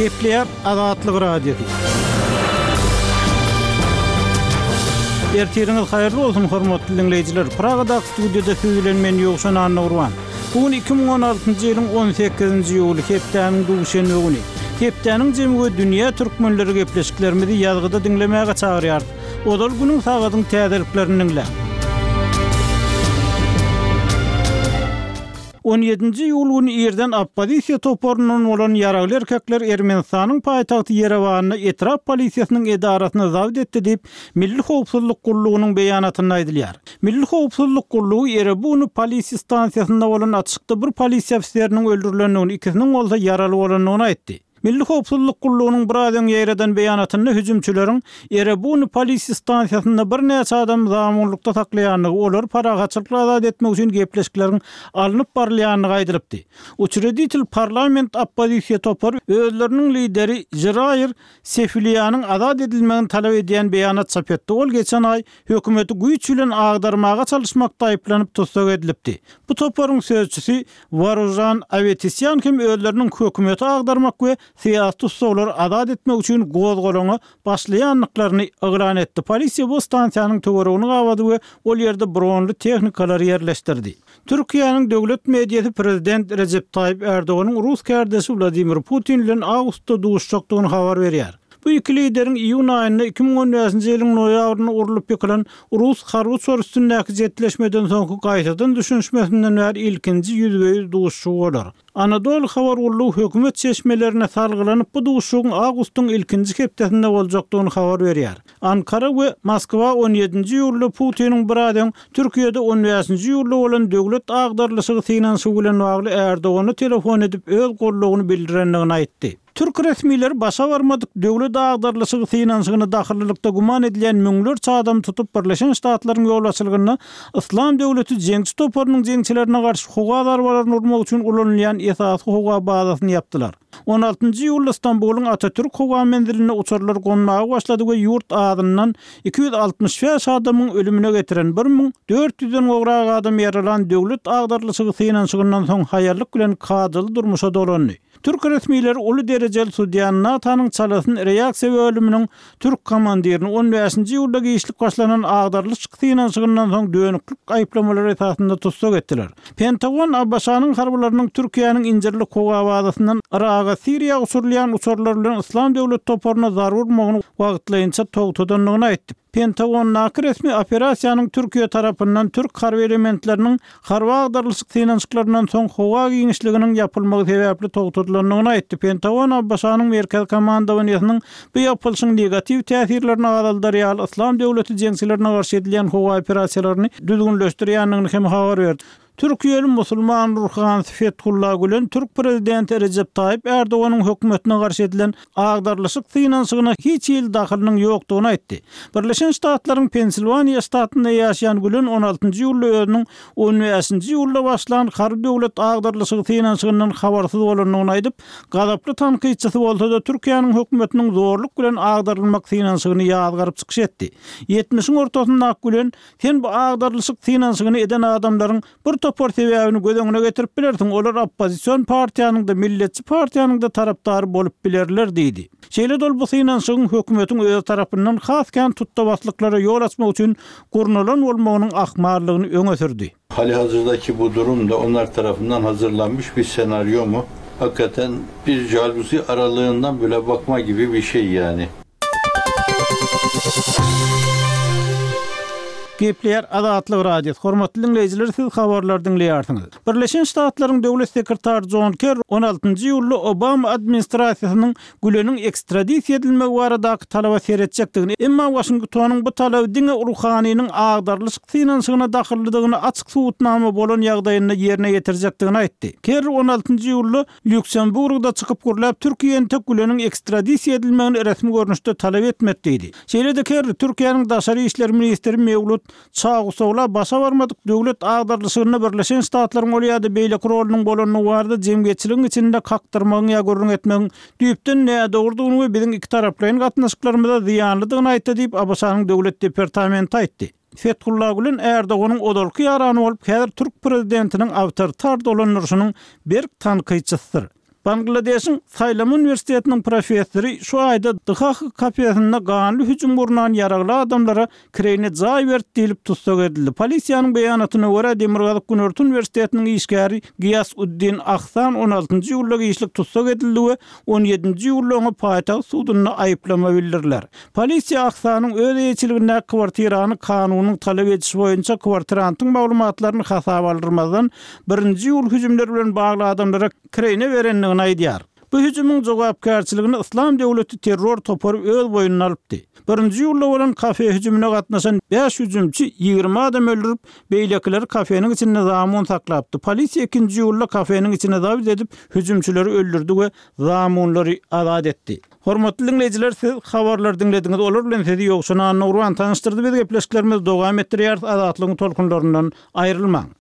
Gepleýär Azatlyk Radiosy. Ertiriňiz haýyrly bolsun, hormatly diňleýjiler! Pragadaky studiýada siz bilen men Ýowşan Annagurban. Bu gün 2016-njy ýylyň 18-nji iýuly, hepdäniň duşenbe güni. Hepdäniň jemi we dünýä türkmenleri gepleşiklerimizi ýazgyda diňlemäge çagyrýarys. Ozal günüň sagadyň täzeliklerini diňläň. On ýedinji iýul güni irden oppozisiýa toparyndan bolan ýaragly erkekler Ermenistanyň paýtagty Ýerewanda etrap polisiýasynyň edarasyny zabt etdi diýip, Milli howpsuzlyk gullugynyň beýanatynda aýdylýar. Milli howpsuzlyk gullugy Erebuni polisiýa stansiýasynda bolan atyşykda bir polisiýa ofiseriniň öldürilendigini, ikisiniň bolsa ýaraly bolandygyny aýtdy. Milli howpsuzlyk gullugynyň biraz öň ýaýradan beýanatynda hüjümçileriň Erebuni polisiýa stansiýasynda birnäçe adamy zamunlykda saklaýandygy, olary parahatçylykly azat etmek üçin gepleşikleriň alnyp barylýandygy aýdylypdy. Uçreditel parlament oppozisiýa topary özleriniň lideri Žiraýr Sefiliýanyň azat edilmegini talap edýän beýanat çap etdi. Ol geçen aý hökümeti güýç bilen agdarmaga çalyşmakda aýyplanyp tussag edilipdi. Bu toparyň sözçüsi Waružan Awetisýan hem özleriniň hökümeti agdarmak we syýasy tussaglary azat etmek üçin gozgalaňa başlaýandyklaryny yglan etdi. Polisiýa bu stansiýanyň töweregini gabady we ol ýerde bronly tehnikalary ýerleşdirdi. Türkiýäniň döwlet mediasy prezident Rejep Taýyp Ärdoganyň rus kärdeşi Wladimir Putin bilen awgustda duşuşjakdygyny habar berýär. Bu iki lideriň iýun aýynda 2015-nji ýylyň noýabrynda urlup ýykylan rus harby uçary üstündäki jetleşmeden soňky gaýtadan düşünişmesinden bäri ilkinji ýüzbe-ýüz duşuşygy bolar. Anadolu habar gullugy hökümet çeşmelerine salgylanyp bu duşuşygyň awgustyň ilkinji hepdesinde boljakdygyny habar berýär. Ankara we Moskwa on ýedinji iýulda Putiniň biraz öň Türkiýede on bäşinji iýulda bolan döwlet agdarylyşygy synanyşygy bilen bagly Erdogana telefon edip öz goldawyny bildirendigini aýtdy. Türk resmileri başa barmadyk döwlet agdarylyşygy synanyşygyna dahyllylykda güman edilýän müňlerçe adamy tutup Birleşen Ştatlaryň ýolbaşçylygynda Yslam döwleti jeňçi toparynyň jeňçilerine garşy howa zarbalaryny urmak üçin ulanylýan esasy howa bazasyny ýapdylar. On altynjy iýulda Stambulyň Atatürk howa menzilinde uçarlar gonmaga başlady we ýurt azyndan 265 adamyň ölümine getiren 1400-den gowrak adam ýaralan döwlet agdarylyşygy synanyşygyndan soň haýallyk bilen kadaly durmuşa dolandy. Türk resmileri uly derejeli sudýa NATO-nyň çalasyn reaksiýa bölüminiň türk komandirini on bäşinji iýulda giçlik başlanan agdarylyşyk synanyşygyndan soň dönüklik aýyplamalary esasynda tussag etdiler. Pentagon ABŞ-nyň harbylarynyň Türkiýäniň Injirlik howa bazasyndan Yraga, Siriýa uçurylýan uçarlar bilen Yslam döwleti toparyna zarba urmagyny wagtlaýynça togtadandygyny aýtdy. Pentagondaky resmi operasiýanyň Türkiýe tarapyndan türk harby elementleriniň harby agdarylyşyk synanyşyklaryndan soň howa giňişliginiň ýapylmagy sebäpli togtadylandygyny aýtdy. Pentagon ABŞ-nyň Merkezi komandowaniýesiniň bu ýapylyşyň negatiw täsirlerini azaldar ýaly Yslam döwleti jeňçilerine garşy edilýän howa operasiýalaryny düzgünleşdirýändigini hem habar berdi. Türkiýeli musulman ruhanysy Fethullah Gülen türk prezidenti Rejep Taýyp Erdoganyň hökümetine garşy edilen agdarylyşyk synanyşygyna hiç hili dahylynyň ýokdugyny aýtdy. Birleşen Ştatlaryň Pensilwaniýa ştatynda ýaşaýan Gülen on altynjy iýulda özüniň on bäşinji iýulda başlan harby döwlet agdarylyşygy synanyşygyndan habarsyz bolandygyny aýdyp, gazaply tankytçysy bolsa-da Türkiýäniň hökümetiniň zorluk bilen agdarylmak synanyşygyny ýazgaryp çykyş etdi. Ýetmişiň ortasyndaky Gülen Sen bu agdarylyşyk synanyşygyny eden adamlaryň bir topar sebäbini göz öňüne getirip bilersiň, olar oppozision partiýanyň-da, milletçi partiýanyň-da tarapdary bolup bilerler diýdi. Şeýle-de ol bu synanyşygyň hökümetiň özi tarapyndan has kän tutda-baslyklara ýol açmak üçin gurnalan bolmagynyň ahmallygyny öňe sürdi. Halihazırdaki bu durum da onlar tarafından hazırlanmış bir senaryo mu? Hakikaten bir jaluzi aralığından bile bakma gibi bir şey yani. Gepleýär Azatlyk Radiosy. Hormatly diňleýjiler, siz habarlary diňleýärsiňiz. Birleşen Ştatlaryň Döwlet sekretary Jon Kerri on altynjy iýulda Obama administrasiýasynyň Güleniň ekstradisiýa edilmegi baradaky talaba seretjekdigini, emma Waşingtonyň bu talaby diňe ruhanynyň agdarylyşyk synanyşygyna dahyllydygyny açyk subutnama bolan ýagdaýynda ýerine ýetirjekdigini aýtdy. Kerri on altynjy iýulda Lýuksemburgda çykyp gürläp, Türkiýe entek Güleniň ekstradisiýa edilmegini resmi görnüşde talap etmedi diýdi. Şeýle-de Kerri Türkiýäniň daşary işler ministri Mewlut Çawusogla başa barmadyk döwlet agdarylyşygynda Birleşen Ştatlaryň ol ýa-da beýleki rolunyň bolandygy barada jemgyýetçiligiň içinde kakdyrmagyň ýa gürrüň etmegiň düýpden nädogrudygyny we biziň ikitaraplaýyn gatnaşyklarymyza zyýanlydygyny aýtdy diýip, ABŞ-nyň Döwlet departamenti aýtdy. Fethullah Gülen Erdoganyň ozalky ýarany bolup, häzir türk prezidentiniň awtoritar dolandyryşynyň berk tankytçysydyr. Bangladeşiň Saýlama uniwersitetiniň professory şu aýda Dhaka kafesinde ganly hüjüm gurnan ýaragly adamlara kireýine jaý berdi diýlip tussag edildi. Polisiýanyň beýanatyna görä, Demirgazyk-Günorta uniwersitetiniň işgäri Giýas Uddin Ahsan on altynjy iýulda giçlik tussag edildi we on ýedinji iýulda oňa paýtagt sudunda aýyplama bildiriler. Polisiýa Ahsanyň öz eýeçiligindäki kwartirany kanunyň talap edişi boýunça kwartirantyň maglumatlaryny hasaba aldyrmazdan, birinji iýul hüjümleri bilen bagly adamlara kireýine berendigini aýdýar. Bu hüjümiň jogapkärçiligini Yslam döwleti terror topary öz boýnuna alypdy. Birinji iýulda bolan kafe hüjümine gatnaşan bäş hüjümçi 20 adam öldürip, beýlekileri kafeniň içinde zamun saklapdy. Polisiýa ikinji iýulda kafeniň içine zabt edip, hüjümçileri öldürdi we zamunlary azat etdi. Hormatly diňleýjiler, siz habarlary diňlediňiz, olar bilen sizi Ýowşan Annagurban tanyşdyrdy. Biz gepleşiklerimizi dowam etdirýäris, Azatlygyň tolkunlaryndan aýrylmaň!